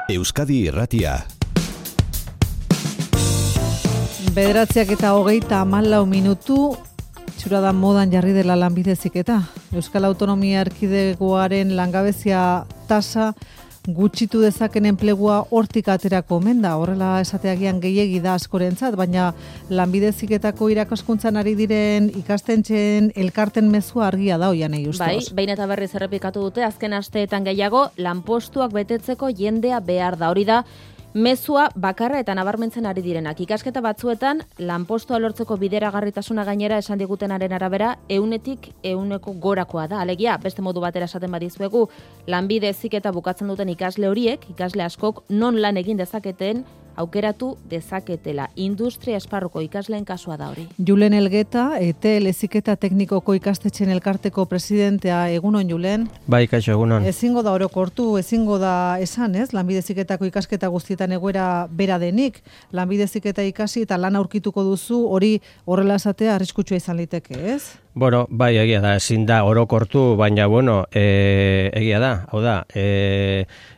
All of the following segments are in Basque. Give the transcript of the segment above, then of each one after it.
Euskadi Irratia. 9:34 txura da modan jarri dela lanbide heziketa. Euskal Autonomia Erkidegoaren langabezia tasa gutxitu dezaken enplegua hortik aterako omen da. Horrela esateagian gehiegi da askorentzat, baina lanbide heziketako irakaskuntzan ari diren ikastetxeen elkarten mezua argia da Oianei Justoz. Bai, behin eta berriz errepikatu dute azken asteetan gehiago lanpostuak betetzeko jendea behar da. Hori da mezua bakarra eta nabarmentzen ari direnak. Ikasketa batzuetan, lanpostua lortzeko bideragarritasuna gainera esan digutenaren arabera, 100% gorakoa da. Alegia, beste modu batera esaten badizuegu, lanbide heziketa bukatzen duten ikasle horiek, ikasle askok non lan egin dezaketen, aukeratu dezaketela. Industria esparruko ikasleen kasua da hori. Julen Elgeta, ETL heziketa teknikoko ikastetxen elkarteko presidentea, egunon Julen. Bai, kaixo, egunon. Ezingo da orokortu, ezingo da esan, ez? Lanbide heziketako ikasketa guztietan egoera bera denik. Lanbide heziketa ikasi eta lan aurkituko duzu, hori horrela esatea arriskutsua izan liteke, ez? Bueno, bai, egia da, ezin da orokortu, baina, bueno, egia da, hau da,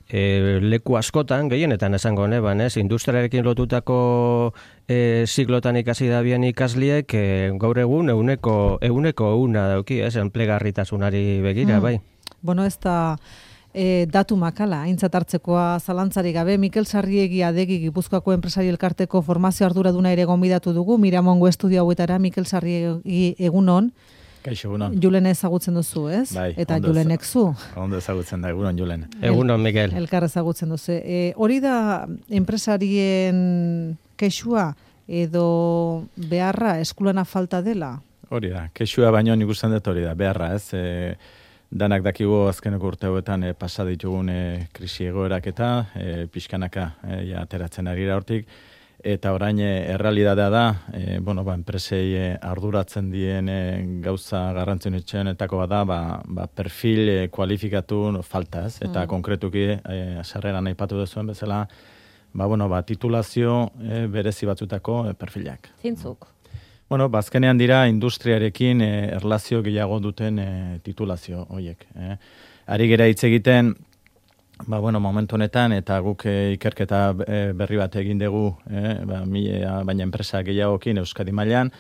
leku askotan, gehienetan esango neban, ez? Industriarekin lotutako ziklotan ikasi da bien ikasliek, gaur egun euneko dauki, ez? Enplegarritasunari begira, bai. Bueno, ez da datu makala, aintzat hartzekoa zalantzarik gabe. Mikel Sarriegi Adegi Gipuzkoako enpresari elkarteko formazio arduraduna ere gonbidatu dugu, Miramongo estudio hauetara. Mikel Sarriegi, egunon. Kaixo, egunon. Julen ezagutzen duzu, ez? Bai, eta Julenek zu. Ondo ezagutzen da, egunon Julen. Egunon, Mikel. Elkar ezagutzen duzu. Hori da enpresarien kexua edo beharra, eskulana falta dela? Hori da, kexua baino nik usten dut hori da, beharra, ez? Danak dakigu azkeneko urte hauetan pasa ditugun krisi egoerak eta pixkanaka ateratzen ari hortik. Eta orain errealitatea da, enpresei arduratzen dien gauza garrantzitsuenetako bada, perfil kualifikatu falta, ez? Eta konkretuki sarreran aipatu duzuen bezala, titulazio berezi batzutako perfilak. Zintzuk. Azkenean dira industriarekin erlazio gehiago duten titulazio horiek. Ari gera hitz egiten, momentu honetan, eta guk ikerketa berri bat egin dugu, baina enpresa gehiagokin Euskadi mailan,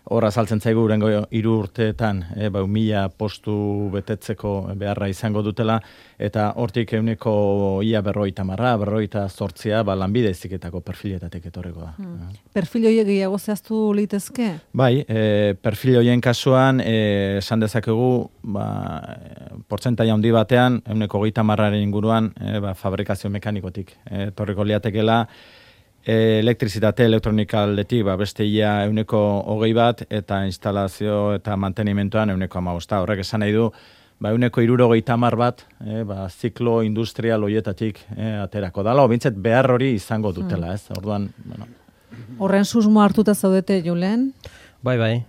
hor azaltzen zaigu urengo 3 urteetan 1000 postu betetzeko beharra izango dutela, eta hortik euneko ia 50-58 lanbide heziketako perfiletatik etorreko da. Perfil horiek gehiago zehaztu litezke? Bai, perfil horien kasuan, esan dezakegu, portzentai handi batean, euneko 30 inguruan, fabrikazio mekanikotik etorriko liatekela, elektrizitate elektronika aldetik beste ia euneko 21 eta instalazio eta mantenimentoan euneko 15. Horrek esan nahi du, euneko 70 ziklo industrial horietatik aterako dala, bintzat behar hori izango dutela, ez? Orduan, Horren susmo hartuta zaudete, Julen? Bai,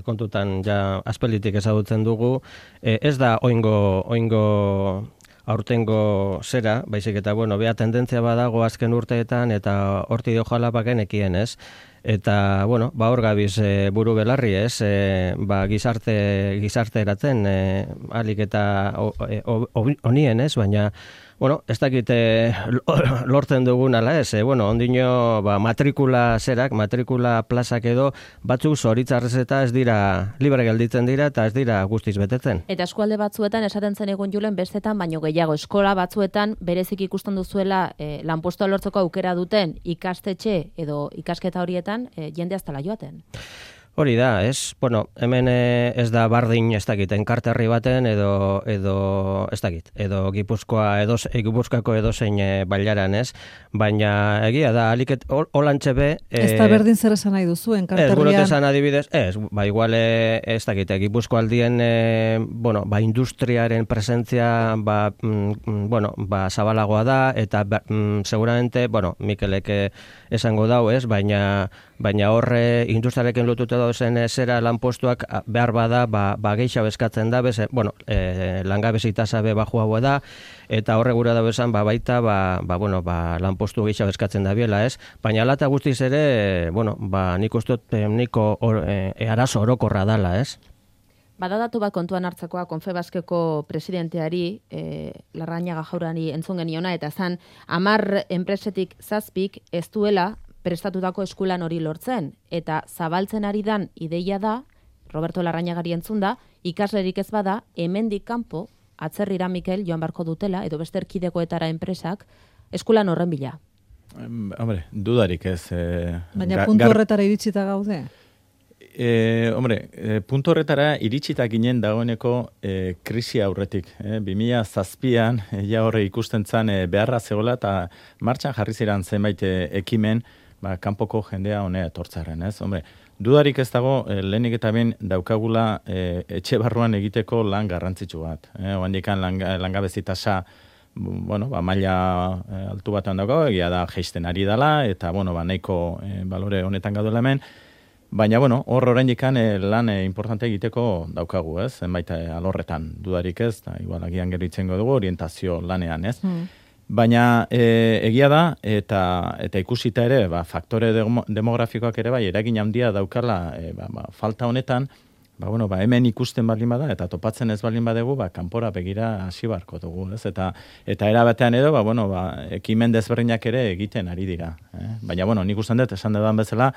kontutan ja aspalditik ezagutzen dugu. Ez da oingo aurtengo zera, baizik eta, bea tendentzia badago azken urteetan, eta horti dio jalapaken ekien, ez? Eta, hor gabiz buru belarri, ez? Gizarte eratzen, alik eta honien, ez? Baina, ez dakit lortzen dugun ala ez, ondino matrikula plazak edo, batzuk zoritzarrez eta ez dira, libre gelditzen dira eta ez dira guztiz betetzen. Eta eskualde batzuetan esaten zen egun Julen bestetan, baino gehiago eskola batzuetan berezik ikusten duzuela lanpostua lortzeko aukera duten ikastetxe edo ikasketa horietan jende aztala joaten. Hori da, ez? Hemen ez da bardin ez dakit, enkarterri baten edo ez dakit, edo Gipuzkoako edozein bailaran, ez? Baina egia da, aliket holantxe be... Ez da berdin zer esan nahi duzu, enkarterrian? Ez, gurot esan adibidez, igual ez dakit, Gipuzko aldien, industriaren presentzia, zabalagoa da, eta seguramente, Mikelek esango dau, ez? Baina horre industriarekin lotuta dauzen zera lanpostuak behar bada, gehiago eskatzen da, langabezi tasa be baxuagoa da, eta horre gura da bezan, baita, lanpostu gehiago eskatzen da biela, ez? Baina alata guztiz ere, nik uste dut, niko arazo orokorra dala, ez? Badadatu bat kontuan hartzekoa Confebaskeko presidenteari, Larrañaga Jaurani entzun geniona, eta zan 10 enpresetik 7 ez duela prestatutako eskulan hori lortzen. Eta zabaltzen ari dan ideia da, Roberto Larrañagari entzun da, ikaslerik ez bada, hemendik kanpo, atzerrira Mikel joan barko dutela, edo beste erkidegoetara enpresak, eskulan horren bila. Hombre, dudarik ez. Baina puntu horretara iritsita gaude? Puntu horretara iritsita ginen dagoeneko krisi aurretik. 2007an, ja horre ikusten zan beharra zegoela eta martxan jarri ziren zenbait ekimen, kanpoko jendea honea etortzaren, ez? Hombre, dudarik ez dago, lehenik eta ben daukagula etxe barruan egiteko lan garrantzitsu bat. Oandikan langabezi tasa maila altu batean daukago, egia da jeisten ari dela, eta nahiko balore honetan gaudela hemen, baina hor oraindikan lan importante egiteko daukagu, ez? Zenbait alorretan dudarik ez, da igual agian gero itzengo dugu orientazio lanean, ez? Baina egia da, eta ikusita ere, faktore demografikoak ere bai, eragin handia daukala falta honetan, hemen ikusten baldin bada, eta topatzen ez baldin badegu, kanpora begira hasi barko dugu, ez? Eta erabatean edo, ekimen desberdinak ere egiten ari dira. Baina, nik usten dut, esan dudan bezala,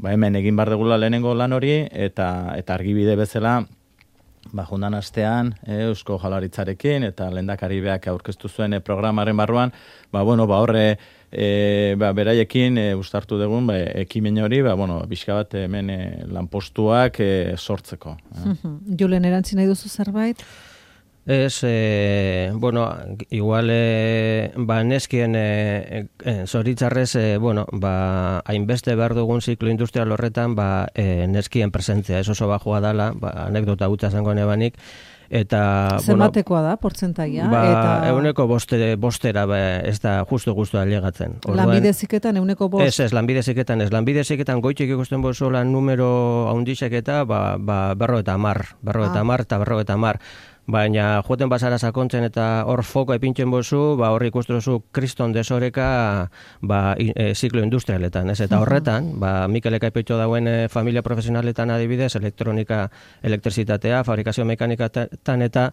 hemen egin bar degula lehenengo lan hori, eta argibide bezala, jundan astean, Eusko Jaurlaritzarekin, eta lehendakari beak aurkeztu zuen programaren barruan, horre, beraiekin ustartu dugun ekimen hori, bizka bat hemen lanpostuak sortzeko. Julen, erantzi nahi duzu zerbait? Ez, igual, neskien zoritzarrez, hainbeste behar dugun ziklo industrial horretan, neskien presentzia, ez oso bajua dala, anekdota gutza zango nebanik, eta... Zenbatekoa da, portzentaia? Euneko bostera, ez da justu alegatzen. Lanbide ziketan euneko bost? Ez, lanbide ziketan goitik ikusten bozola numero haundixek eta 50. Baina joten bazara sakontzen eta hor foko epintzen bozu, hor ikustuzu kriston desoreka ziklo industrialetan, ez? Eta horretan, Mikelek aipetxo dauen familia profesionaletan adibidez, elektronika, elektrizitatea, fabrikazio mekanikatan eta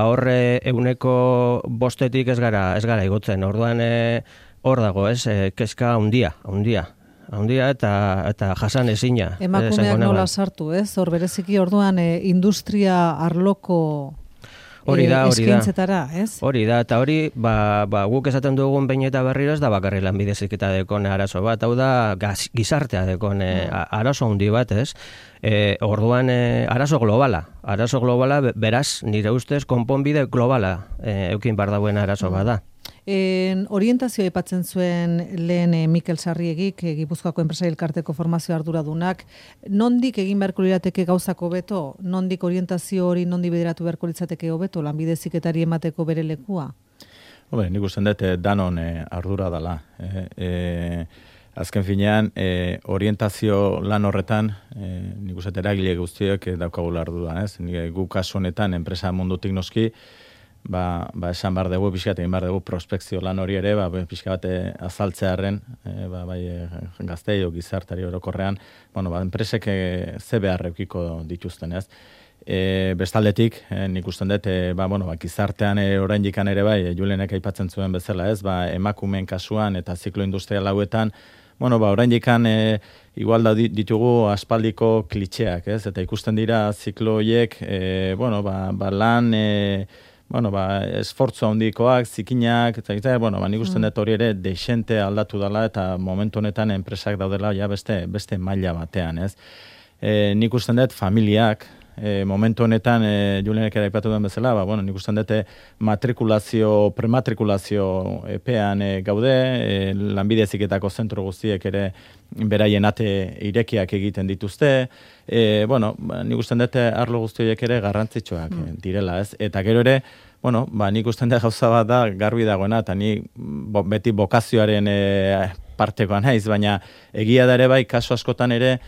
horre euneko bostetik ez gara igotzen. Orduan hor dago, ez? Kezka handia eta jasan ezina. Emakumeak nola sartu, ez? Hor bereziki orduan industria arloko eskaintzetara, ez? Hori da, eta hori, guk esaten dugun behin eta berriro ez da bakarri lanbide heziketa dekon arazo bat, hau da gizartea dekon arazo handi bat, ez? Orduan arazo globala, beraz, nire ustez, konponbide globala eukin bar dauen arazo bada. Orientazioa aipatzen zuen lehen Mikel Sarriegik, Gipuzkoako enpresari elkarteko formazio arduradunak, nondik egin beharko lirateke gauzako beto? Nondik orientazio hori nondi bideratu beharko litzateke hobeto lanbide heziketari emateko bere lekua? Nik usten dut danon ardura dela. Azken finean, orientazio lan horretan, nik uste eragile guztiok daukagula ardura, ez? Gu kasu honetan, enpresa mundutik noski, esan bar dugu, pixkat egin bar dugu prospekzio lan hori ere, pixka bat azaltzearen, gaztei o gizartari orokorrean, enpresek ze behar eukiko dituzten, ez? Bestaldetik, nik usten dut, gizartean oraindikan ere bai, Julenek aipatzen zuen bezala, ez? Emakumeen kasuan eta ziklo industrial hauetan, oraindikan igual da ditugu aspaldiko klitxeak, ez? Eta ikusten dira ziklo horiek, lan... esfortzu handikoak, zikinak, eta nik usten dut hori ere deixente aldatu dela eta momentu honetan enpresak daudela beste maila batean, ez? Nik usten dut familiak, momentu honetan, Julenek ere aipatu duen bezala, nik usten dut prematrikulazio epean gaude, lanbide heziketako zentro guztiek ere beraien ate irekiak egiten dituzte, nik usten dut arlo guztiek ere garrantzitsuak direla, ez? Eta gero ere, nik usten dut gauza bat da garbi dagoena, eta ni beti bokazioaren partekoa naiz, baina egia da ere bai, kasu askotan ere,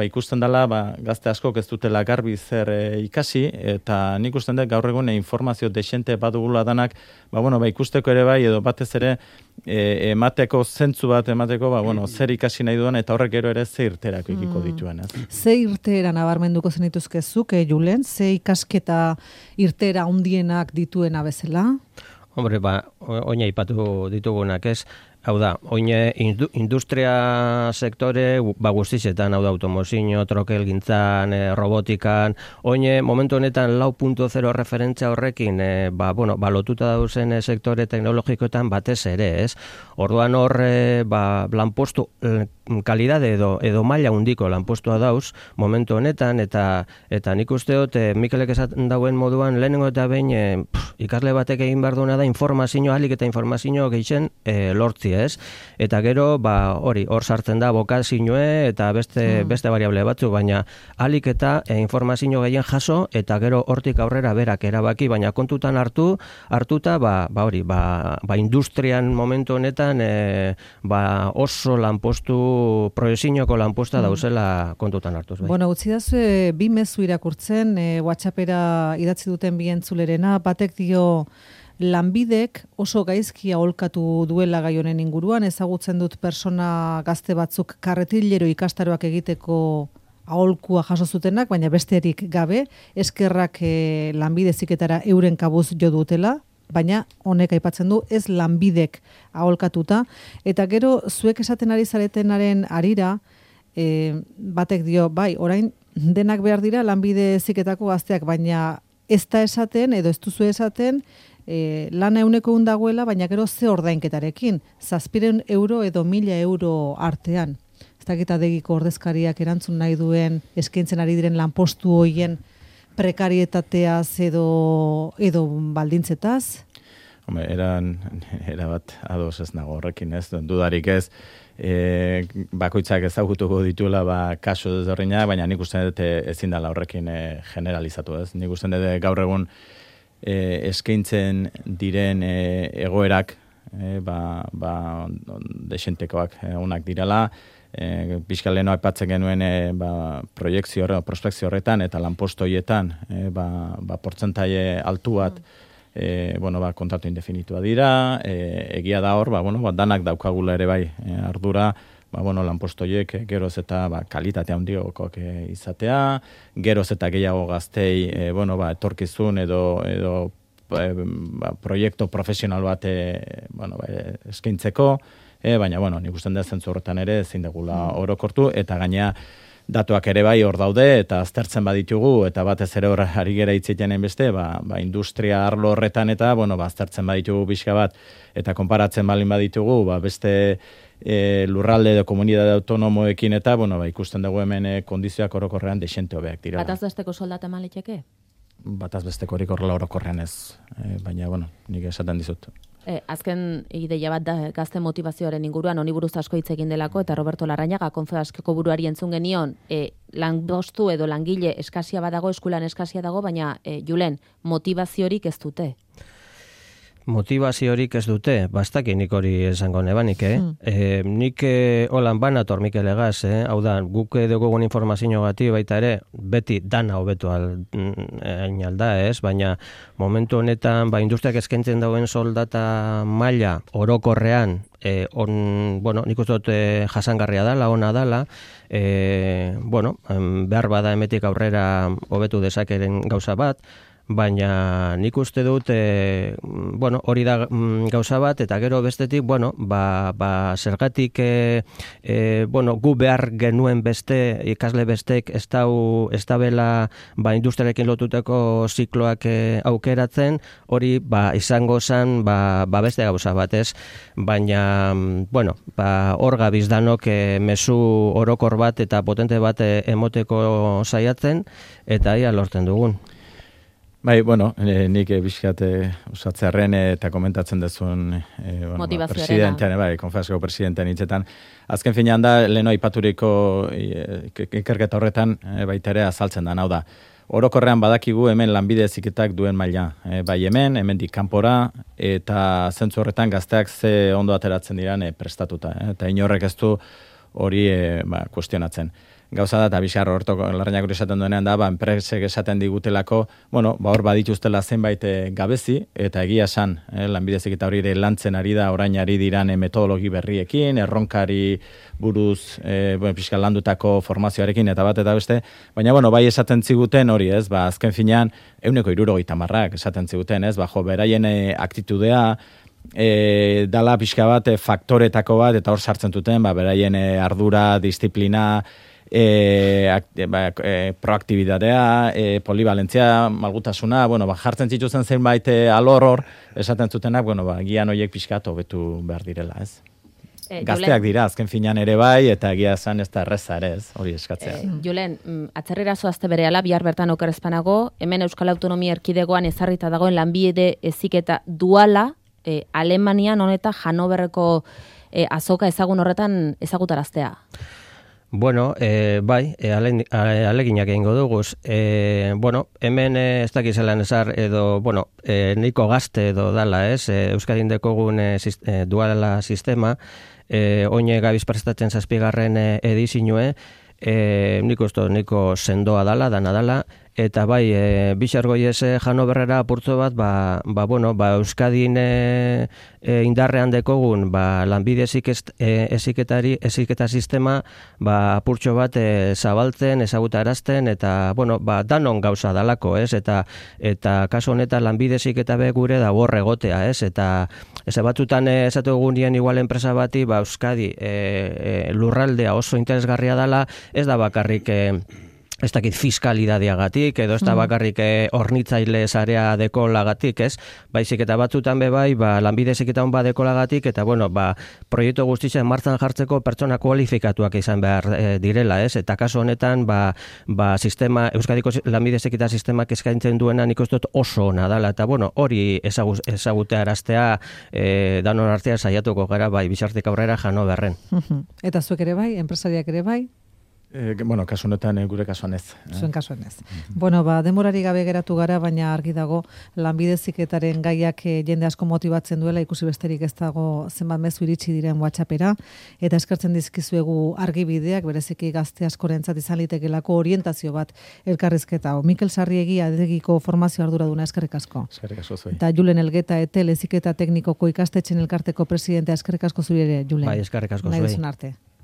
ikusten dela, gazte askok ez dutela garbi zer ikasi, eta nik usten dut gaur egun informazio desente badugula danak, ikusteko ere bai, edo batez ere emateko zentzu bat emateko, zer ikasi nahi duan, eta horrek gero ere ze irterako ikiko dituen. Ze irtera nabarmenduko zenituzkezuk, Julen? Ze ikasketa irtera handienak dituena bezala? Hombre, oina ipatu ditugunak ez. Hau da, oine industria sektore guztizetan, hau da, automozio, trokelgintzan, robotikan, oine momentu honetan 4.0 referentzia horrekin, lotuta dauzen sektore teknologikoetan batez ere, ez? Orduan hor, lanpostu kalidade edo maila hundiko lanpostua dauz momentu honetan, eta nik uste dut, Mikelek esaten dauen moduan, lehenengo eta behin ikasle batek egin behar duena da informazio, ahalik eta informazio gehien lortzi, ez? Eta gero, hor sartzen da bokazioe eta beste variable batzu, baina ahalik eta informazio gehien jaso, eta gero hortik aurrera berak erabaki, baina kontutan hartuta, industrian momentu honetan, oso lanpostu proiektinoko lanposta dauzela kontutan hartuz. Bueno, utzi dazu, bi mezu irakurtzen, WhatsAppera idatzi duten bi entzulerena, batek dio lanbidek oso gaizki aholkatu duela gai honen inguruan, ezagutzen dut persona gazte batzuk karretilero ikastaroak egiteko aholkua jaso zutenak, baina besterik gabe, eskerrak lanbide heziketara euren kabuz jo dutela, baina honek aipatzen du ez lanbidek aholkatuta, eta gero zuek esaten ari zaretenaren arira, batek dio, orain denak behar dira lanbide heziketako gazteak, baina ez da esaten, edo ez duzu esaten, lana 100 dagoela, baina gero ze ordainketarekin, 700 euro edo 1000 euro artean. Ez dakit adegiko ordezkariak erantzun nahi duen eskaintzen ari diren lanpostu hoien prekarietateaz edo baldintzetaz? Erabat ados ez nago horrekin, ez, dudarik ez, bakoitzak ezagutuko dituela kasu desberdina, baina nik uste dut ezin dela horrekin generalizatu, ez? Nik uste dut gaur egun eskaintzen diren egoerak desentekoak onak direla, pixka leheno aipatzen genuen prospekzio horretan eta lanposto horietan portzentaie altu bat kontratu indefinitua dira, egia da hor, danak daukagula ere bai ardura, lanposto horiek geroz eta kalitatea handiagokoak izatea, geroz eta gehiago gaztei etorkizun edo proiektu profesional bat eskaintzeko, baina nik usten da zentzu horretan ere ezin degula orokortu, eta gainea datuak ere bai hor daude, eta aztertzen baditugu, eta batez ere hor ari gera hitzitenen beste, industria arlo horretan eta, aztertzen baditugu pixka bat, eta konparatzen balin baditugu, beste lurralde edo komunidade autonomoekin eta, ikusten dugu hemen kondizioak orokorrean desente hobeak dira. Bataz besteko soldata eman liteke? Bataz besteko horik horrela orokorrean ez, baina, nik esaten dizut. Azken ideia bat da gazte motivazioaren inguruan, honi buruz asko hitz egin delako, eta Roberto Larrañaga Confebaskeko buruari entzun genion, lanpostu edo langile eskasia badago, eskulan eskasia dago, baina Julen, motivaziorik ez dute? Motivaziorik ez dute, bastak nik hori esango nebanik, nik holan banator Mikel Egaz, hau da, guk dugun informazio gati baita ere, beti dana hobetu alda, ez? Baina momentu honetan, industriak eskaintzen dauen soldata maila orokorrean, nik uste dut jasangarria dala, ona dala, behar bada emetik aurrera hobetu dezakeren gauza bat, baina nik uste dut, hori da gauza bat, eta gero bestetik, zergatik, gu behar genuen beste, ikasle bestek ez da bela industriarekin lotuteko zikloak aukeratzen, hori izango zen beste gauza bat, ez? Baina, hor gabiz danok mezu orokor bat eta potente bat emoteko saiatzen, eta ia lortzen dugun. Nik bizkat usatzearen eta komentatzen dezun presidentean, Confebaskeko presidentean hitzetan. Azken finean da, leheno aipaturiko ikerketa horretan baita ere azaltzen da, hau da. Orokorrean badakigu hemen lanbide heziketak duen maila. Bai hemendik kanpora, eta zentzu horretan gazteak ze ondo ateratzen diran prestatuta. Eta inorrek ez du hori kuestionatzen. gauza da, eta bizarro hortoko larrainak hori esaten duenean da, enpresek esaten digutelako, hor badituztela zenbait gabezi, eta egia esan, Lanbide Heziketa hori ere lantzen ari da, orain ari diran metodologi berriekin, erronkari buruz pixka landutako formazioarekin, eta bat eta beste, baina, bai esaten ziguten hori, ez, azken finean, 160 esaten ziguten, ez, beraien aktitudea, dala pixka bat faktoretako bat, eta hor sartzen duten, beraien ardura, disiplina, proaktibitatea, polivalentzia, malgutasuna, jartzen zituzen zenbait alor hor, esaten zutenak, gian horiek pixka hobetu behar direla, ez? Gazteak dira, azken finan ere bai, eta egia esan ez da erreza ere, ez, hori eskatzea. Julen, atzerrera zoazte berehala, bihar bertan okerrezpanago, hemen Euskal Autonomia Erkidegoan ezarrita dagoen Lanbide Heziketa duala, Alemanian honeta Hanoverreko azoka ezagun horretan ezagutaraztea. Bai, aleginak egingo duguz. Hemen ez dakizelan ezar edo, nahiko gazte edo dala, ez? Euskadin dekogun duala sistema, oine gabiz prestatzen 7. edizinue, niko sendoa dala, dana dala, eta bai, bixargoi ez Hanoverrera apurtzo bat, Euskadin indarrean dekogun, Lanbide heziketa sistema, apurtxo bat zabaltzen, ezagutarazten, eta, danon gauza dalako, ez? Eta kaso honetan Lanbide heziketa be gure da borre egotea, ez? Eta ez batzutan esatu egunien igual enpresa bati, Euskadi lurraldea oso interesgarria dala, ez da bakarrik ez dakit fiskalidadeagatik, edo ez da bakarrik hornitzaile zarea dekolagatik, ez? Baizik eta batzutan bai, Lanbide Heziketa hon dekolagatik, eta proiektu guztitzen martzan jartzeko pertsona kualifikatuak izan behar direla, ez? Eta kaso honetan, sistema, Euskadiko Lanbide Heziketa sistemak eskaintzen duena nik uste dut oso ona dela, eta hori ezagutea araztea danon artea saiatuko gara, bizartik aurrera Hanoverren. Eta zuek ere bai, enpresariak ere bai? Kasu honetan gure kasuan ez. Zuen kasuan ez. Demorari gabe geratu gara, baina argi dago Lanbide Heziketaren gaiak jende asko motibatzen duela, ikusi besterik ez dago zenbat mezu iritsi diren WhatsAppera, eta eskertzen dizkizuegu argibideak, bereziki gazte askorentzat izan litekelako orientazio bat elkarrizketa. Mikel Sarriegi adegiko formazio arduraduna, eskerrik asko. Eskerrik asko zui. Eta Julen Elgeta Etel Heziketa Teknikoko ikastetxen elkarteko presidentea, eskerrik asko zuri ere, Julen. Bai, eskerrik asko zui. Nahi duzun arte.